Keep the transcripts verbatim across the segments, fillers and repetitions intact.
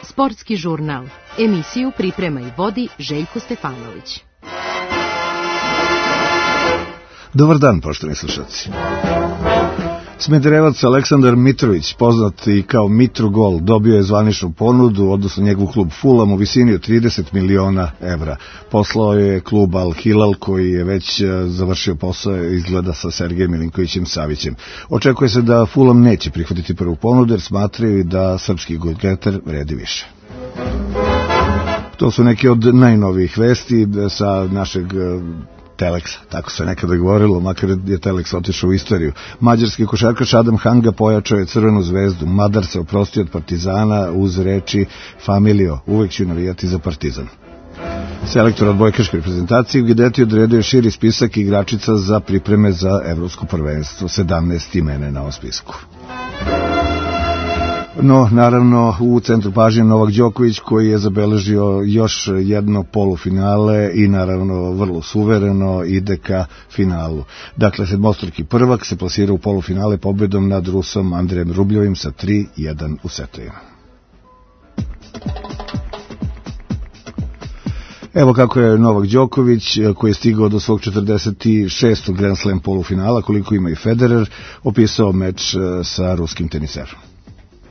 Sportski žurnal. Emisiju priprema i vodi Željko Stefanović. Dobar dan, poštovani slušalci. Smederevac Aleksandar Mitrović, poznat i kao Mitrogol, dobio je zvaničnu ponudu, odnosno njegov klub Fulham u visini od trideset miliona evra. Poslao je klub Al Hilal koji je već završio posao, izgleda, sa Sergejem Milinkovićem Savićem. Očekuje se da Fulham neće prihvatiti prvu ponudu jer smatraju da srpski golgeter vredi više. To su neke od najnovijih vesti sa našeg Teleksa, tako se nekada govorilo, makar je Teleks otišao u istoriju. Mađarski košarkaš Adam Hanga pojačao je Crvenu zvezdu. Madar se oprostio od Partizana uz reči "Familio, uvek ću navijati za Partizan". Selektor odbojkaške reprezentacije Guidetti odredio širi spisak igračica za pripreme za evropsko prvenstvo, sedamnaest imena na ovom spisku. No, naravno, u centru pažnje Novak Đoković koji je zabeležio još jedno polufinale i naravno vrlo suvereno ide ka finalu. Dakle, sedmostruki prvak se plasira u polufinale pobedom nad Rusom Andrejem Rubljovim sa tri jedan u setovima. Evo kako je Novak Đoković, koji je stigao do svog četrdeset šestog Grand Slam polufinala, koliko ima i Federer, opisao meč sa ruskim teniserom.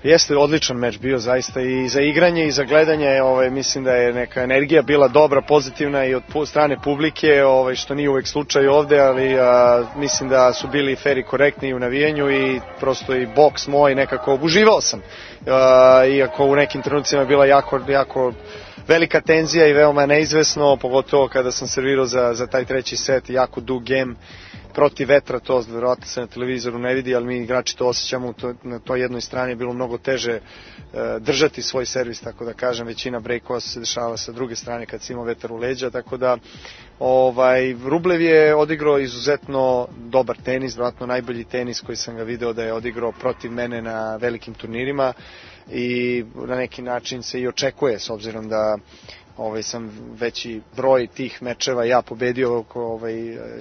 Jeste odličan meč bio zaista i za igranje i za gledanje, ovaj, mislim da je neka energija bila dobra, pozitivna i od strane publike, ovaj, što nije uvek slučaj ovde, ali a, mislim da su bili fer i korektni u navijenju i prosto i boks moj nekako uživao sam. A, iako u nekim trenucima je bila jako, jako velika tenzija i veoma neizvesno, pogotovo kada sam servirao za, za taj treći set, jako dug game, protiv vetra, to verovatno se na televizoru ne vidi, ali mi igrači to osjećamo, to, na toj jednoj strani je bilo mnogo teže e, držati svoj servis, tako da kažem, većina breakova se dešava sa druge strane kad se ima vetar u leđa, tako da ovaj, Rublev je odigrao izuzetno dobar tenis, verovatno najbolji tenis koji sam ga video da je odigrao protiv mene na velikim turnirima i na neki način se i očekuje, s obzirom da Ovaj, sam veći broj tih mečeva ja pobedio ovaj,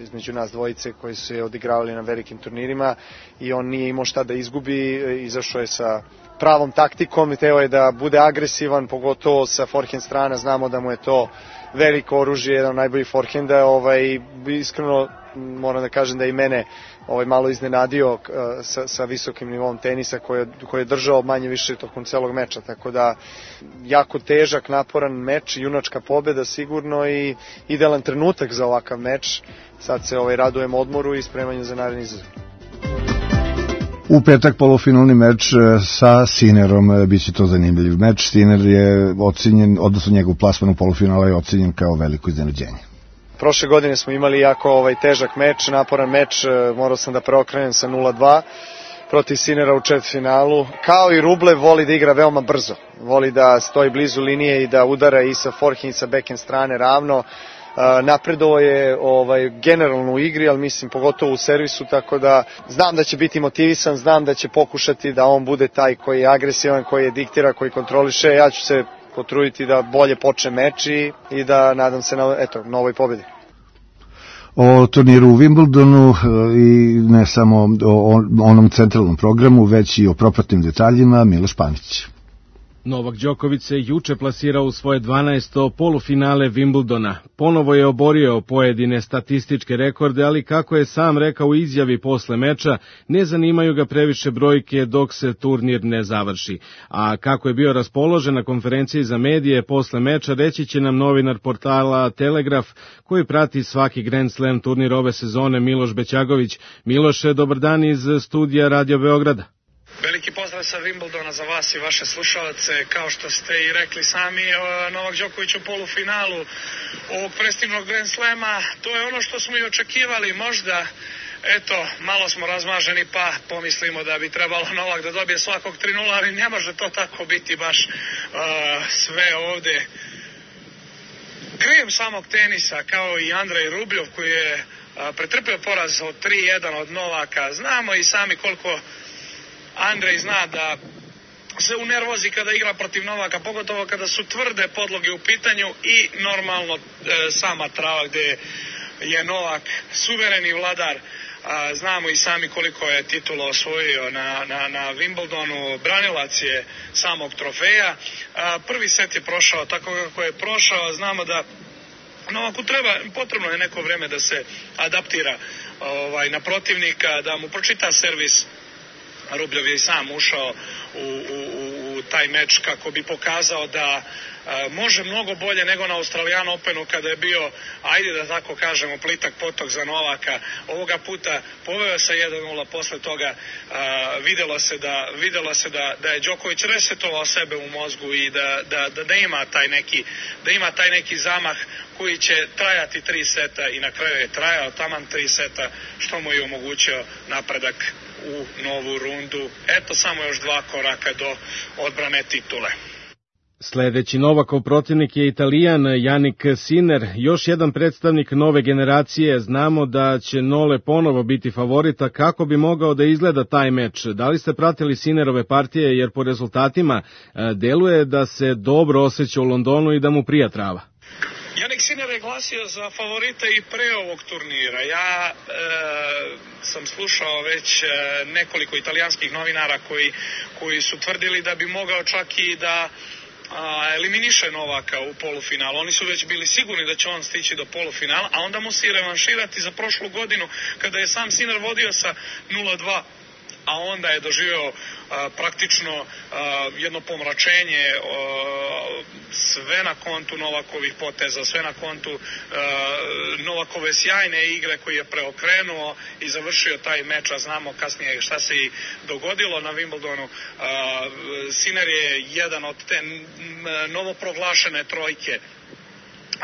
između nas dvojice koji su se odigravali na velikim turnirima i on nije imao šta da izgubi, izašao je sa pravom taktikom, teo je da bude agresivan, pogotovo sa forehand strana, znamo da mu je to veliko oružje, jedan od najboljih forehanda, ovaj, iskreno moram da kažem da i mene ovaj, malo iznenadio uh, sa, sa visokim nivom tenisa koji, koji je držao manje više tokom celog meča, tako da jako težak, naporan meč, junačka pobeda sigurno i idealan trenutak za ovakav meč. Sad se ovaj, radujem odmoru i spremanju za naredni izazov. U petak polufinalni meč sa Sinerom, bit će to zanimljiv meč. Siner je ocenjen, odnosno njegov plasman u polufinala je ocenjen kao veliko iznenađenje. Prošle godine smo imali jako ovaj, težak meč, naporan meč, morao sam da preokrenem sa nula dva protiv Sinera u četvrtfinalu. Kao i Rublev, voli da igra veoma brzo, voli da stoji blizu linije i da udara i sa forehand i sa backhand strane ravno. Napredovao je ovaj, generalno u igri, ali mislim pogotovo u servisu, tako da znam da će biti motivisan, znam da će pokušati da on bude taj koji je agresivan, koji je diktira, koji kontroliše. Ja ću se potruditi da bolje počne meč i, i da nadam se na eto, novoj pobedi. O turniru u Wimbledonu i ne samo o onom centralnom programu, već i o propratnim detaljima Miloš Panić. Novak Đoković se juče plasirao u svoje dvanaesto polufinale Wimbledona. Ponovo je oborio pojedine statističke rekorde, ali kako je sam rekao u izjavi posle meča, ne zanimaju ga previše brojke dok se turnir ne završi. A kako je bio raspoložen na konferenciji za medije posle meča, reći će nam novinar portala Telegraf, koji prati svaki Grand Slam turnir ove sezone, Miloš Bećagović. Miloše, dobar dan iz studija Radio Beograda. Veliki pozdrav sa Wimbledona za vas i vaše slušalce. Kao što ste i rekli sami, Novak Đoković u polufinalu ovog prestižnog Grand Slema, to je ono što smo i očekivali. Možda, eto, malo smo razmaženi pa pomislimo da bi trebalo Novak da dobije svakog tri nula, ali ne može to tako biti baš uh, sve ovde. Krijem samog tenisa, kao i Andrej Rubljov koji je uh, pretrpio poraz od tri jedan od Novaka. Znamo i sami koliko Andrej zna da se unervozi kada igra protiv Novaka, pogotovo kada su tvrde podloge u pitanju i normalno e, sama trava gdje je Novak suvereni vladar. A, znamo i sami koliko je titula osvojio na, na, na Wimbledonu, branilac je samog trofeja. A, prvi set je prošao tako kako je prošao, znamo da Novaku treba, potrebno je neko vreme da se adaptira ovaj, na protivnika, da mu pročita servis. Rubljov je i sam ušao u, u, u taj meč kako bi pokazao da a, može mnogo bolje nego na Australian Openu kada je bio, ajde da tako kažemo, plitak potok za Novaka. Ovoga puta poveo se jedan nula, posle toga a, videlo se, da, videlo se da, da je Đoković resetovao sebe u mozgu i da, da, da, da, ima taj neki, da ima taj neki zamah koji će trajati tri seta i na kraju je trajao taman tri seta, što mu je omogućio napredak u novu rundu. Eto, samo još dva koraka do odbrane titule. Sledeći Novakov protivnik je Italijan Jannik Sinner, još jedan predstavnik nove generacije. Znamo da će Nole ponovo biti favorita. Kako bi mogao da izgleda taj meč? Da li ste pratili Sinnerove partije, jer po rezultatima deluje da se dobro osjeća u Londonu i da mu prija trava? Jannik Sinner je glasio za favorita i pre ovog turnira. Ja e, sam slušao već e, nekoliko italijanskih novinara koji, koji su tvrdili da bi mogao čak i da a, eliminiše Novaka u polufinalu. Oni su već bili sigurni da će on stići do polufinala, a onda mu se i revanširati za prošlu godinu kada je sam Sinner vodio sa nula dva, a onda je doživeo a, praktično a, jedno pomračenje, a, sve na kontu Novakovih poteza, sve na kontu a, Novakove sjajne igre koji je preokrenuo i završio taj meč, a znamo kasnije šta se i dogodilo na Wimbledonu. A, Sinner je jedan od te novoproglašene trojke,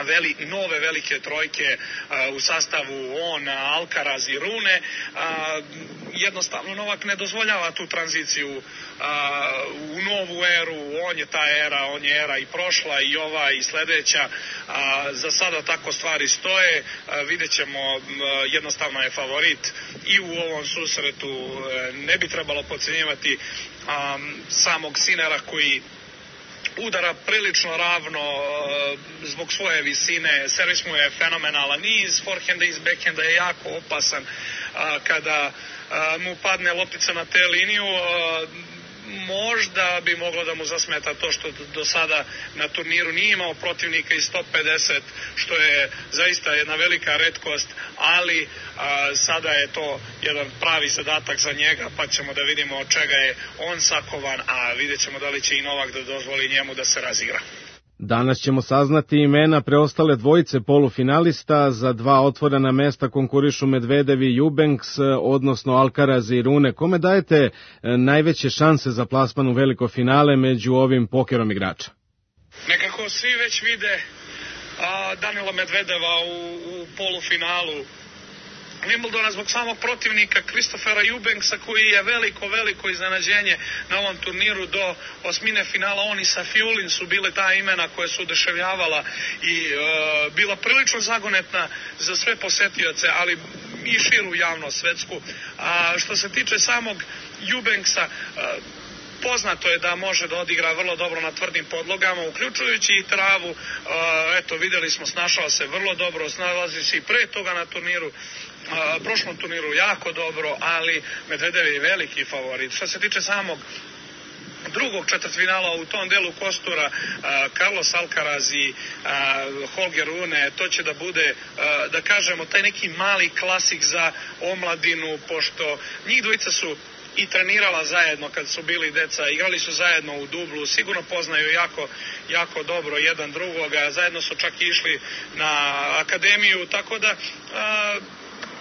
Veli, nove velike trojke a, u sastavu on, Alcaraz i Rune. A, jednostavno Novak ne dozvoljava tu tranziciju a, u novu eru. On je ta era, on je era i prošla i ova i sledeća. A, za sada tako stvari stoje. A, vidjet ćemo, a, jednostavno je favorit i u ovom susretu. A, ne bi trebalo podcenjivati a, samog Sinnera koji udara prilično ravno zbog svoje visine, servis mu je fenomenalan, i iz forehenda i iz backhenda je jako opasan. Kada mu padne loptica na te liniju, možda bi moglo da mu zasmeta to što do sada na turniru nije imao protivnika iz top pedeset, što je zaista jedna velika retkost, ali a, sada je to jedan pravi zadatak za njega, pa ćemo da vidimo od čega je on sakovan, a vidjet ćemo da li će i Novak da dozvoli njemu da se razigra. Danas ćemo saznati imena preostale dvojice polufinalista. Za dva otvorena mesta konkurišu Medvedev i Eubanks, odnosno Alcaraz i Rune. Kome dajete najveće šanse za plasman u veliko finale među ovim pokerom igrača? Nekako svi već vide a, Danila Medvedeva u, u polufinalu Wimbledona zbog samog protivnika Christophera Eubanksa, koji je veliko, veliko iznenađenje na ovom turniru. Do osmine finala on i Safiulin su bile ta imena koje su oduševljavala i e, bila prilično zagonetna za sve posetioce, ali i širu javnost svetsku. A što se tiče samog Eubanksa, e, poznato je da može da odigra vrlo dobro na tvrdim podlogama, uključujući i travu. Eto, videli smo, snašao se vrlo dobro, snalazi se i pre toga na turniru, prošlom turniru jako dobro, ali Medvedev je veliki favorit. Što se tiče samog drugog četvrtfinala u tom delu kostura, Carlos Alcaraz i Holger Rune, to će da bude, da kažemo, taj neki mali klasik za omladinu, pošto njih dvojica su i trenirala zajedno kad su bili deca, igrali su zajedno u dublu, sigurno poznaju jako, jako dobro jedan drugoga, zajedno su čak išli na akademiju, tako da a,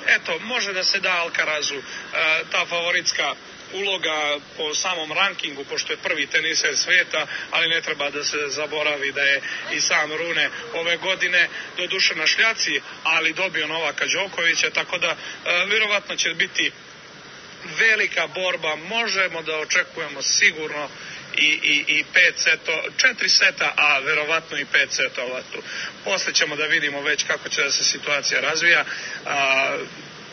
eto, može da se da Alcarazu a, ta favoritska uloga po samom rankingu, pošto je prvi teniser sveta, ali ne treba da se zaboravi da je i sam Rune ove godine doduše na šljaci, ali dobio Novaka Đokovića, tako da a, vjerovatno će biti velika borba. Možemo da očekujemo sigurno i, i, i pet seto, četiri seta, a verovatno i pet setova tu. Posle ćemo da vidimo već kako će da se situacija razvija. A,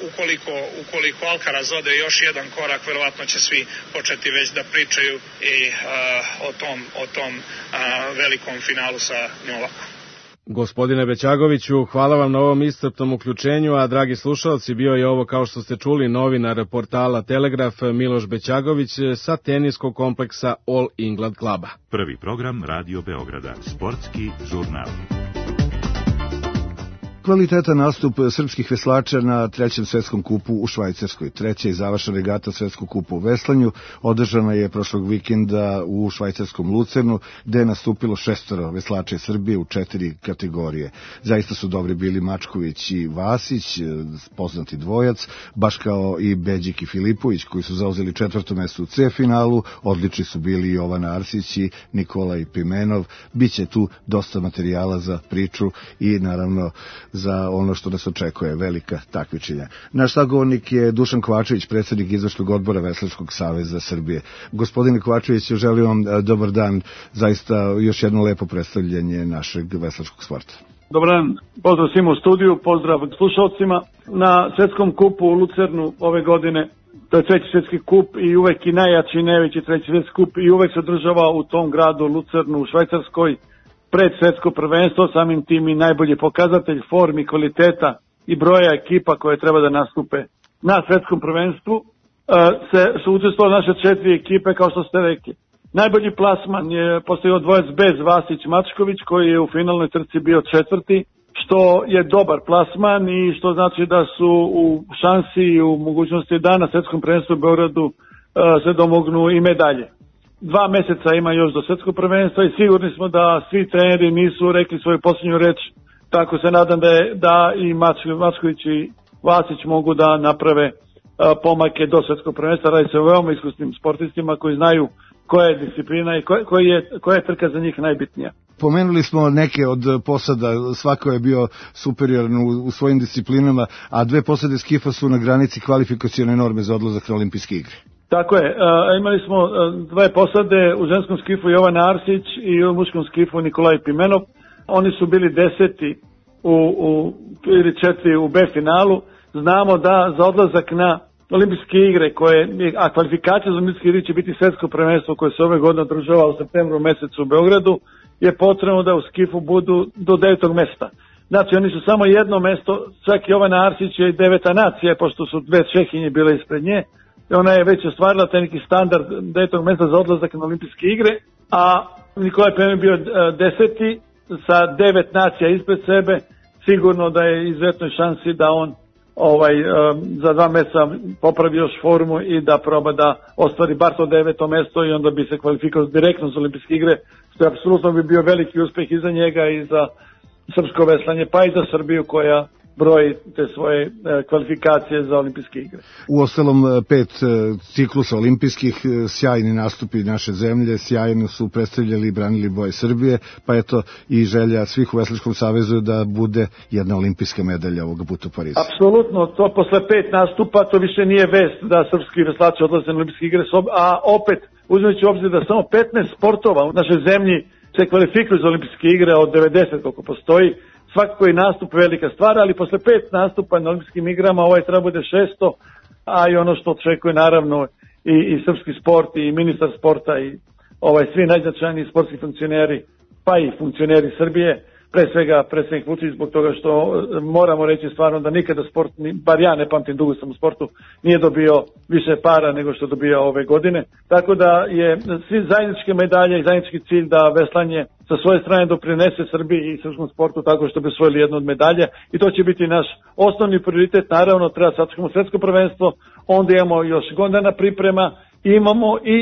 ukoliko, ukoliko Alcaraz ode još jedan korak, verovatno će svi početi već da pričaju i a, o tom, o tom a, velikom finalu sa Novakom. Gospodine Bećagoviću, hvala vam na ovom iscrpnom uključenju, a dragi slušalci, bio je ovo, kao što ste čuli, novinar portala Telegraf Miloš Bećagović sa teniskog kompleksa All England kluba. Prvi program Radio Beograda, sportski žurnal. Kvalitetan nastup srpskih veslača na trećem svetskom kupu u Švajcarskoj. Treća i završna regata svetskog kupa u veslanju održana je prošlog vikenda u švajcarskom Lucernu, gde je nastupilo šestoro veslača iz Srbije u četiri kategorije. Zaista su dobri bili Mačković i Vasić, poznati dvojac, baš kao i Beđik i Filipović, koji su zauzeli četvrto mesto u C finalu. Odlični su bili Jovan Arsić i Nikolaj Pimenov. Biće tu dosta materijala za priču i naravno za ono što nas očekuje, velika takmičenja. Naš sagovornik je Dušan Kovačević, predsjednik izvršnog odbora Veslačkog saveza Srbije. Gospodine Kovačević, želim vam dobar dan, zaista još jedno lepo predstavljanje našeg veslačkog sporta. Dobar dan, pozdrav svima u studiju, pozdrav slušalcima. Na svetskom kupu u Lucernu ove godine, to je treći svjetski kup i uvek i najjači i najveći treći svjetski kup i uvek se održava u tom gradu Lucernu u Švajcarskoj, pred svetsko prvenstvo, samim tim i najbolji pokazatelj formi, kvaliteta i broja ekipa koje treba da nastupe na svetskom prvenstvu. Se, su učestvovali naše četiri ekipe, kao što ste rekli. Najbolji plasman je postavio dvojac bez Vasić-Mačković, koji je u finalnoj trci bio četvrti, što je dobar plasman i što znači da su u šansi i u mogućnosti da na svetskom prvenstvu u Beogradu se domognu i medalje. Dva meseca ima još do svetskog prvenstva i sigurni smo da svi treneri nisu rekli svoju posljednju reč, tako se nadam da, je, da i Mačković i Vasić mogu da naprave a, pomake do svetskog prvenstva. Radi se o veoma iskusnim sportistima koji znaju koja je disciplina i koja, koja, je, koja je trka za njih najbitnija. Pomenuli smo neke od posada, svako je bio superioran u, u svojim disciplinama, a dve posade skifa su na granici kvalifikacione norme za odlazak na olimpijske igre. Tako je, a, imali smo a, dve posade u ženskom skifu Jovan Arsić i u muškom skifu Nikolaj Pimenov. Oni su bili deseti u, u, ili četiri u B finalu. Znamo da za odlazak na olimpijske igre, koje, a kvalifikacija za olimpijske igre će biti svetsko prvenstvo koje se ove godine održava u septembru mesecu u Beogradu, je potrebno da u skifu budu do devetog mesta. Znači oni su samo jedno mesto, čak i Jovan Arsić je deveta nacija, pošto su dve Čehinje bile ispred nje. Ona je već ostvarila taj neki standard devetog mesta za odlazak na olimpijske igre, a Nikolaj Pimenov bio deseti sa devet nacija ispred sebe. Sigurno da je izuzetnoj šansi da on ovaj za dva mjeseca popravi još formu i da proba da ostvari bar to deveto mesto i onda bi se kvalifikovao direktno za olimpijske igre, što je apsolutno bi bio veliki uspjeh i za njega i za srpsko veslanje, pa i za Srbiju koja broji te svoje kvalifikacije za olimpijske igre. U ostalom pet ciklusa olimpijskih, sjajni nastupi naše zemlje, sjajno su predstavljali i branili boje Srbije, pa eto i želja svih u Veslačkom savezu da bude jedna olimpijska medalja ovoga puta u Parizu. Apsolutno, to posle pet nastupa to više nije vest da srpski veslači odlaze na olimpijske igre, a opet uzimajući u obzir da samo petnaest sportova u našoj zemlji se kvalifikuju za olimpijske igre od devedeset koliko postoji. Svakako je nastup velika stvar, ali posle pet nastupa na olimpijskim igrama ovaj treba bude šesto, a i ono što očekuje naravno i, i srpski sport i ministar sporta i ovaj svi najznačajniji sportski funkcioneri, pa i funkcioneri Srbije, pre svega predsjednik Vučić, zbog toga što moramo reći stvarno da nikada sport, bar ja ne pamtim, dugo sam u sportu, nije dobio više para nego što dobija ove godine. Tako da je svi zajedničke medalje i zajednički cilj da veslanje sa svoje strane doprinese Srbiji i srpskom sportu tako što bi osvojili jednu od medalja i to će biti naš osnovni prioritet. Naravno treba sačekamo svetsko prvenstvo, onda imamo još godina priprema, imamo i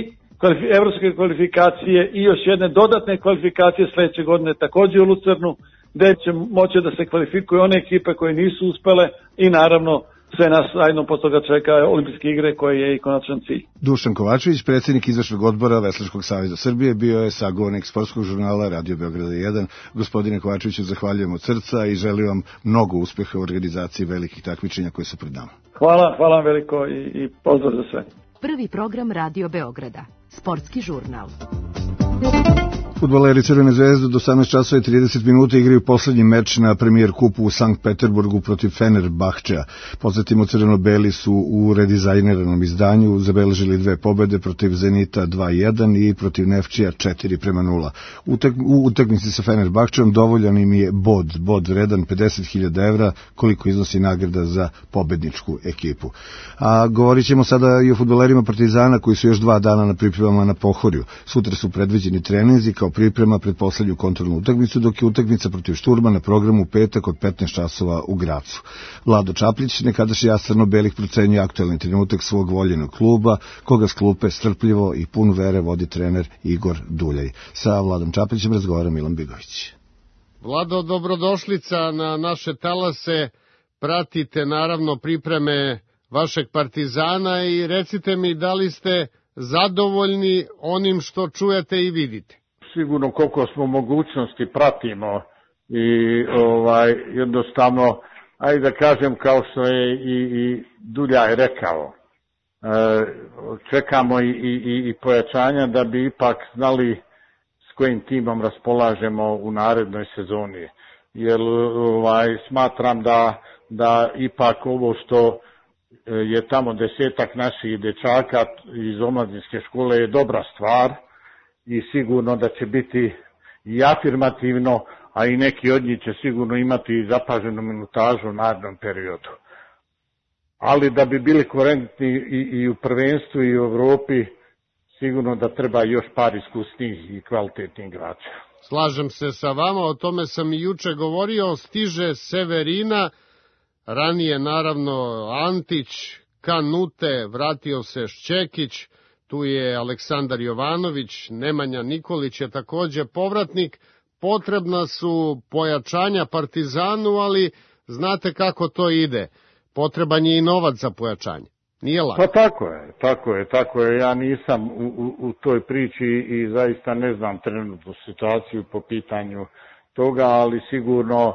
evropske kvalifikacije i još jedne dodatne kvalifikacije sledeće godine također u Lucernu, gde će moći da se kvalifikuju one ekipe koje nisu uspele i naravno sve nas zajedno posle toga čeka olimpijske igre koje je i konačan cilj. Dušan Kovačević, predsjednik izvršnog odbora Veslačkog saveza Srbije, bio je sagovornik sportskog žurnala Radio Beograda jedan. Gospodine Kovačeviću, zahvaljujem od srca i želim vam mnogo uspeha u organizaciji velikih takmičenja koje su pred nama. Hvala, hvala vam veliko i, i pozdrav za sve. Prvi program Radio Beograda, sportski žurnal. Fudbaleri Crvene zvezde do osamnaest časova i trideset minuta igraju poslednji meč na Premier kupu u Sankt Peterburgu protiv Fenerbahčea. Podsjetimo, crveno-beli su u redizajniranom izdanju zabeležili dve pobede protiv Zenita dva jedan i protiv Nefčija četiri prema nula. Utek, u utakmici sa Fenerbahčeom dovoljan im je bod, bod vredan pedeset hiljada evra, koliko iznosi nagrada za pobedničku ekipu. A govorit ćemo sada i o fudbalerima Partizana koji su još dva dana na pripremama na Pohorju. Sutra su predviđeni treninzi kao priprema pred poslednju kontrolnu utakmicu, dok je utakmica protiv Šturma na programu u petak od petnaest časova u Gracu. Vlado Čaplić, nekadašnji as crno-belih, procenjuje aktuelni trenutak svog voljenog kluba, koga s klupe strpljivo i pun vere vodi trener Igor Duljaj. Sa Vladom Čaplićem razgovara Milan Bigović. Vlado, dobrodošlica na naše talase. Pratite naravno pripreme vašeg Partizana i recite mi da li ste zadovoljni onim što čujete i vidite. Sigurno koliko smo mogućnosti pratimo i ovaj jednostavno, ajde da kažem kao što je i, i Duljaj rekao, e, čekamo i, i, i pojačanja da bi ipak znali s kojim timom raspolažemo u narednoj sezoni. Jer ovaj, smatram da, da ipak ovo što je tamo desetak naših dečaka iz omladinske škole je dobra stvar i sigurno da će biti i afirmativno, a i neki od njih će sigurno imati zapaženu minutažu u narednom periodu. Ali da bi bili korektni i, i u prvenstvu i u Evropi, sigurno da treba još par iskusnih i kvalitetnih igrača. Slažem se sa vama, o tome sam i juče govorio, stiže Severina, ranije naravno Antić, Kanute, vratio se Šćekić, tu je Aleksandar Jovanović, Nemanja Nikolić je takođe povratnik. Potrebna su pojačanja Partizanu, ali znate kako to ide. Potreban je i novac za pojačanje. Nije lako. Pa tako je, tako je, tako je. Ja nisam u, u, u toj priči i zaista ne znam trenutnu situaciju po pitanju toga, ali sigurno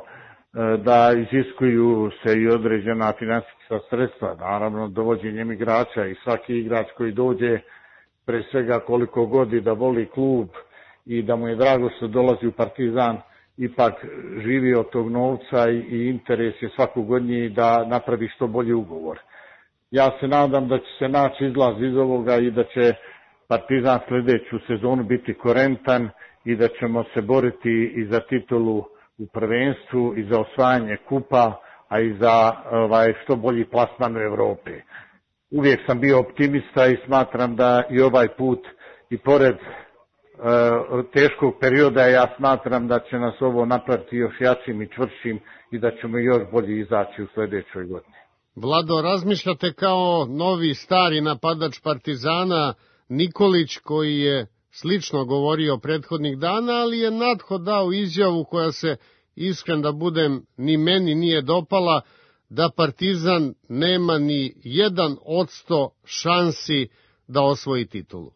da iziskuju se i određena finansijska sredstva, naravno dovođenjem igrača i svaki igrač koji dođe, pre svega koliko god da voli klub i da mu je drago što dolazi u Partizan, ipak živi od tog novca i interes je svakog od njih da napravi što bolji ugovor. Ja se nadam da će se naći izlaz iz ovoga i da će Partizan sledeću sezonu biti korentan i da ćemo se boriti i za titulu u prvenstvu i za osvajanje kupa, a i za ovaj, što bolji plasman u Evropi. Uvijek sam bio optimista i smatram da i ovaj put, i pored e, teškog perioda, ja smatram da će nas ovo napraviti još jačim i čvršim i da ćemo još bolje izaći u sledećoj godini. Vlado, razmišljate kao novi stari napadač Partizana Nikolić, koji je slično govorio prethodnih dana, ali je Natho dao izjavu koja se, iskren da budem, ni meni nije dopala, da Partizan nema ni jedan odsto šansi da osvoji titulu.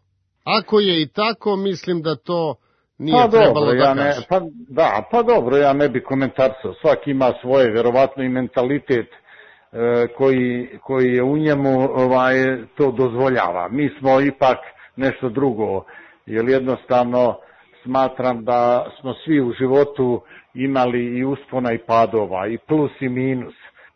Ako je i tako, mislim da to nije pa trebalo dobro, da ja ne, kaže. Pa, da, pa dobro, ja ne bi komentarsao. Svaki ima svoje, verovatno i mentalitet e, koji, koji je u njemu ovaj, to dozvoljava. Mi smo ipak nešto drugo, jer jednostavno smatram da smo svi u životu imali i uspona i padova, i plus i minus.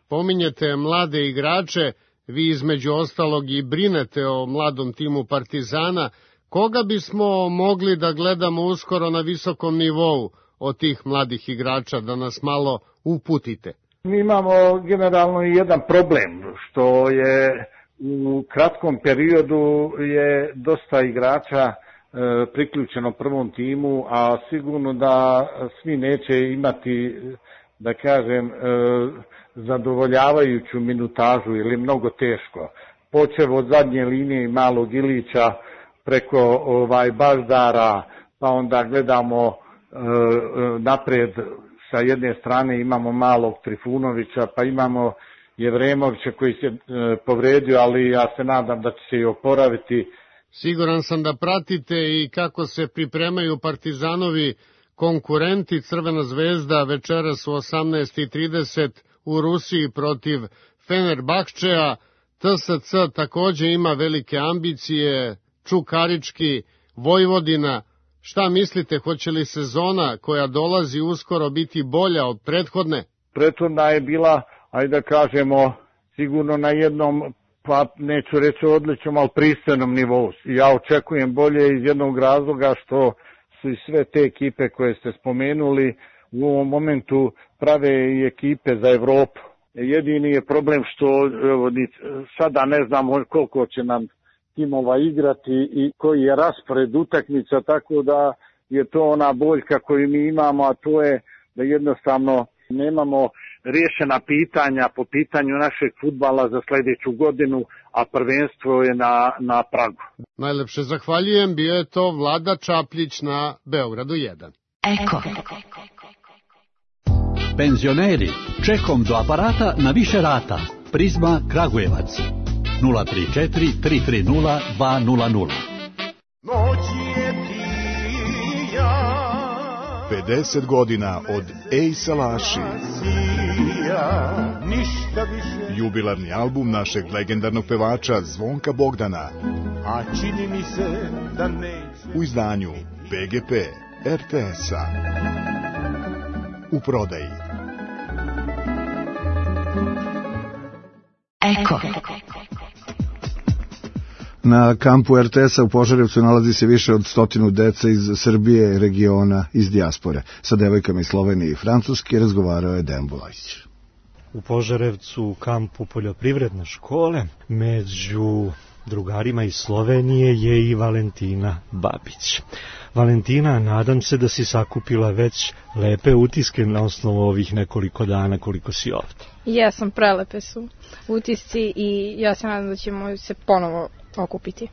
Pominjete mlade igrače, vi između ostalog i brinete o mladom timu Partizana. Koga bismo mogli da gledamo uskoro na visokom nivou od tih mladih igrača, da nas malo uputite? Mi imamo generalno i jedan problem, što je u kratkom periodu je dosta igrača priključeno prvom timu, a sigurno da svi neće imati, da kažem, zadovoljavajuću minutažu ili mnogo teško. Počev od zadnje linije malog Ilića preko ovaj Baždara, pa onda gledamo napred sa jedne strane imamo malog Trifunovića, pa imamo Jevremovića koji se povredio, ali ja se nadam da će se i oporaviti. Siguran sam da pratite i kako se pripremaju Partizanovi konkurenti. Crvena zvezda večeras u osamnaest i trideset u Rusiji protiv Fenerbahčea. T S C takođe ima velike ambicije, Čukarički, Vojvodina, Šta mislite, hoće li sezona koja dolazi uskoro biti bolja od prethodne? Prethodna je bila, ajde da kažemo, sigurno na jednom, pa neću reći odličnom, ali pristojnom nivou. Ja očekujem bolje iz jednog razloga što su i sve te ekipe koje ste spomenuli u ovom momentu prave i ekipe za Evropu. Jedini je problem što evo, sada ne znamo koliko će nam timova igrati i koji je raspored utakmica, tako da je to ona boljka koju mi imamo, a to je da jednostavno nemamo riješena pitanja po pitanju našeg fudbala za sljedeću godinu, a prvenstvo je na, na pragu. Najlepše zahvaljujem, bio je to Vlada Čapljić na Beogradu jedan. Eko. Penzioneri, čekom do aparata na više rata. Prizma Kragujevac. nula tri četiri tri tri nula dva nula nula. pedeset godina od Ej Salaši. Jubilarni album našeg legendarnog pevača Zvonka Bogdana. A čini mi se da neće. U izdanju B G P R T S-a. U prodaji. Eko. Na kampu R T S-a u Požarevcu nalazi se više od stotinu dece iz Srbije, regiona, iz dijaspore. Sa devojkama iz Slovenije i Francuske razgovarao je Dejan Bulajić. U Požarevcu, u kampu poljoprivredne škole, među drugarima iz Slovenije je i Valentina Babić. Valentina, nadam se da si sakupila već lepe utiske na osnovu ovih nekoliko dana koliko si ovdje. Jesam, prelepe su utisci i ja se nadam da ćemo se ponovo okupiti.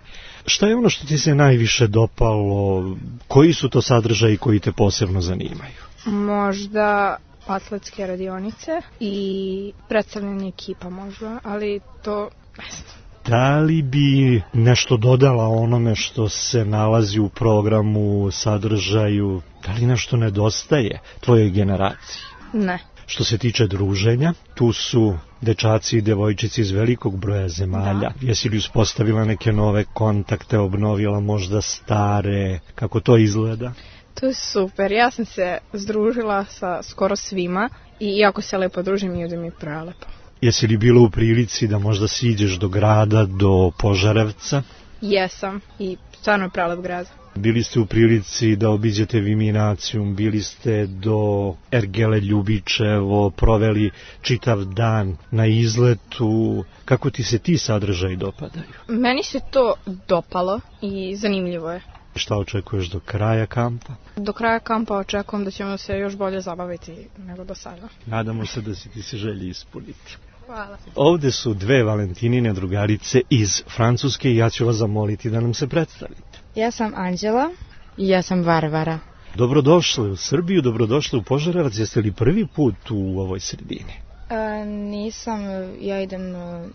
Šta je ono što ti se najviše dopalo? Koji su to sadržaji koji te posebno zanimaju? Možda atletske radionice i predstavljanje ekipa možda, ali to ne znam. Da li bi nešto dodala onome što se nalazi u programu, sadržaju? Da li nešto nedostaje tvojoj generaciji? Ne. Što se tiče druženja, tu su dečaci i devojčici iz velikog broja zemalja. Da. Jesi li uspostavila neke nove kontakte, obnovila možda stare? Kako to izgleda? To je super. Ja sam se združila sa skoro svima i jako se lepo družim i ovdje mi je prelepo. Jesi li bilo u prilici da možda siđeš do grada, do Požarevca? Jesam i stvarno je prelep grad. Bili ste u prilici da obiđete Viminacijum, bili ste do Ergele Ljubičevo, proveli čitav dan na izletu. Kako ti se ti sadržaji dopadaju? Meni se to dopalo i zanimljivo je. Šta očekuješ do kraja kampa? Do kraja kampa očekujem da ćemo se još bolje zabaviti nego do sada. Nadamo se da si ti se želji ispuniti. Hvala. Ovde su dve Valentinine drugarice iz Francuske i ja ću vas zamoliti da nam se predstavite. Ja sam Anđela i ja sam Varvara. Dobrodošli u Srbiju, dobrodošli u Požarevac. Jeste li prvi put u ovoj sredini? E, nisam, ja idem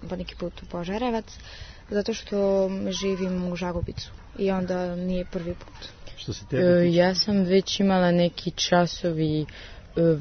po neki put u Požarevac, zato što živim u Žagubicu i onda nije prvi put. Što se tebe tiče? E, ja sam već imala neki časovi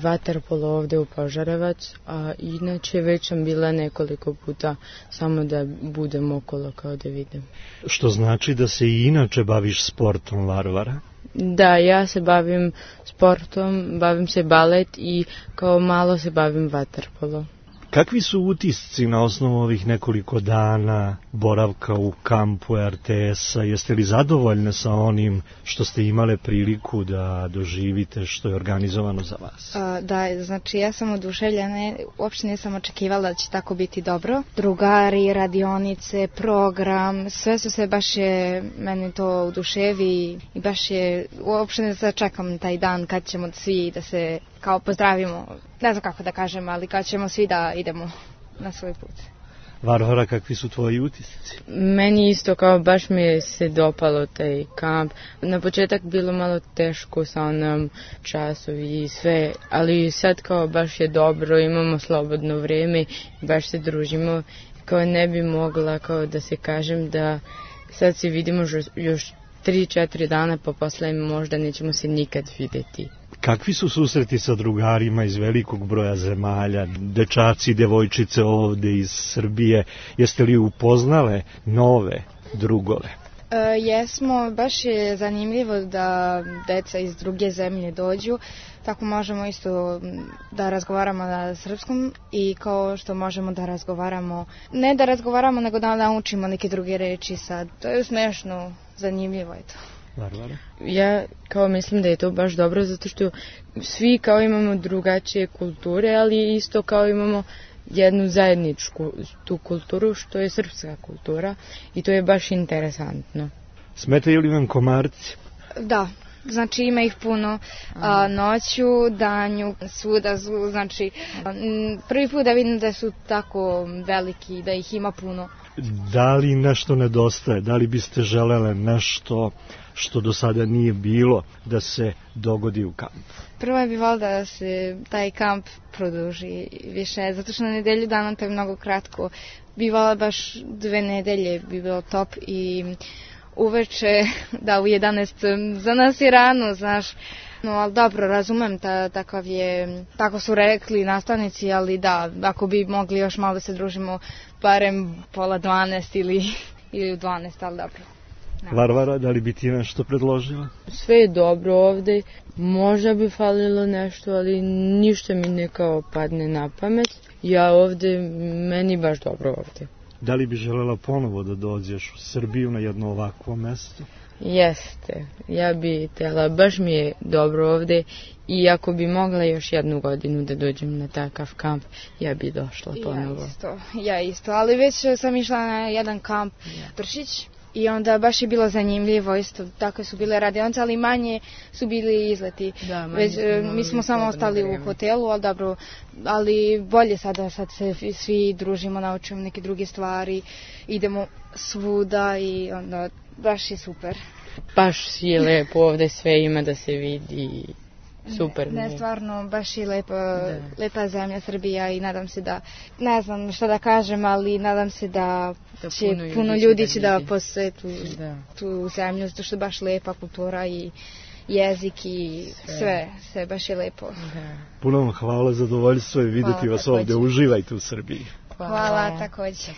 vaterpolo ovdje u Požarevac, a inače već sam bila nekoliko puta samo da budem okolo kao da vidim. Što znači da se i inače baviš sportom, Varvara? Da, ja se bavim sportom, bavim se balet i kao malo se bavim vaterpolo. Kakvi su utisci na osnovu ovih nekoliko dana boravka u kampu R T S-a? Jeste li zadovoljne sa onim što ste imale priliku da doživite, što je organizovano za vas? A, da, znači ja sam oduševljena, uopšte nisam očekivala da će tako biti dobro. Drugari, radionice, program, sve su se baš je, meni to oduševi i baš je, uopšte ne začekam taj dan kad ćemo svi da se kao pozdravimo, ne znam kako da kažem, ali kad ćemo svi da idemo na svoj put. Varvara, kakvi su tvoji utisci? Meni isto, kao baš mi se dopalo taj kamp. Na početak bilo malo teško sa onom časovi i sve, ali sad kao baš je dobro, imamo slobodno vrijeme, baš se družimo. Kao ne bi mogla kao da se kažem da sad se vidimo još tri četiri dana, pa posle možda nećemo se nikad vidjeti. Kakvi su susreti sa drugarima iz velikog broja zemalja, dečaci i devojčice ovdje iz Srbije? Jeste li upoznale nove drugove? E, jesmo, baš je zanimljivo da deca iz druge zemlje dođu, tako možemo isto da razgovaramo na srpskom i kao što možemo da razgovaramo, ne da razgovaramo nego da naučimo neke druge reči sad, to je smešno, zanimljivo je to. Varvara? Ja kao mislim da je to baš dobro zato što svi kao imamo drugačije kulture, ali isto kao imamo jednu zajedničku tu kulturu što je srpska kultura i to je baš interesantno. Smetaju li vam komarci? Da, znači ima ih puno a, noću, danju, svuda, znači prvi put da vidim da su tako veliki, da ih ima puno. Da li nešto nedostaje? Da li biste želele nešto što do sada nije bilo da se dogodi u kampu? Prvo bi volila da se taj kamp produži više, zato što na nedelju dana to je mnogo kratko. Bi volila baš dve nedelje, bi bilo top i uveče, da u jedanaest za nas je rano, znaš. No, ali dobro, razumem, ta, takav je, tako su rekli nastavnici, ali da, ako bi mogli još malo da se družimo, barem pola dvanaest ili, ili u dvanaest, ali dobro. Da. Varvara, da li bi ti nešto predložila? Sve je dobro ovde, možda bi falilo nešto, ali ništa mi ne kao padne na pamet. Ja ovde, meni baš dobro ovde. Da li bi želela ponovo da dođeš u Srbiju na jedno ovakvo mesto? Jeste, ja bi htjela, baš mi je dobro ovde i ako bi mogla još jednu godinu da dođem na takav kamp, ja bi došla ponovo. Ja isto, ja isto, ali već sam išla na jedan kamp Pršić i onda baš je bilo zanimljivo, isto tako su bile radionice, ali manje su bili izleti. Da, već, mi smo samo ostali u hotelu, ali dobro, ali bolje sada, sad se svi družimo, naučimo neke druge stvari, idemo svuda i onda baš je super. Baš je lepo ovde, sve ima da se vidi, super. Ne, ne stvarno, baš je lepo, lepa zemlja Srbija i nadam se da, ne znam šta da kažem, ali nadam se da, da će puno, puno ljudi će da, da posjetu da. tu zemlju, zato što je baš lepa kultura i jezik i sve, sve, sve baš je lepo. Da. Puno vam hvala, zadovoljstvo je vidjeti hvala, vas također. Ovdje, uživajte u Srbiji. Hvala, hvala također.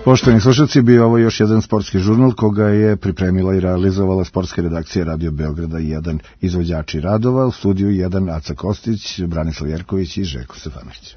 Poštovani slušalci, bio ovo još jedan sportski žurnal koga je pripremila i realizovala sportska redakcija Radio Beograda i jedan izvođači radova, u studiju jedan Aca Kostić, Branislav Jerković i Željko Stefanović.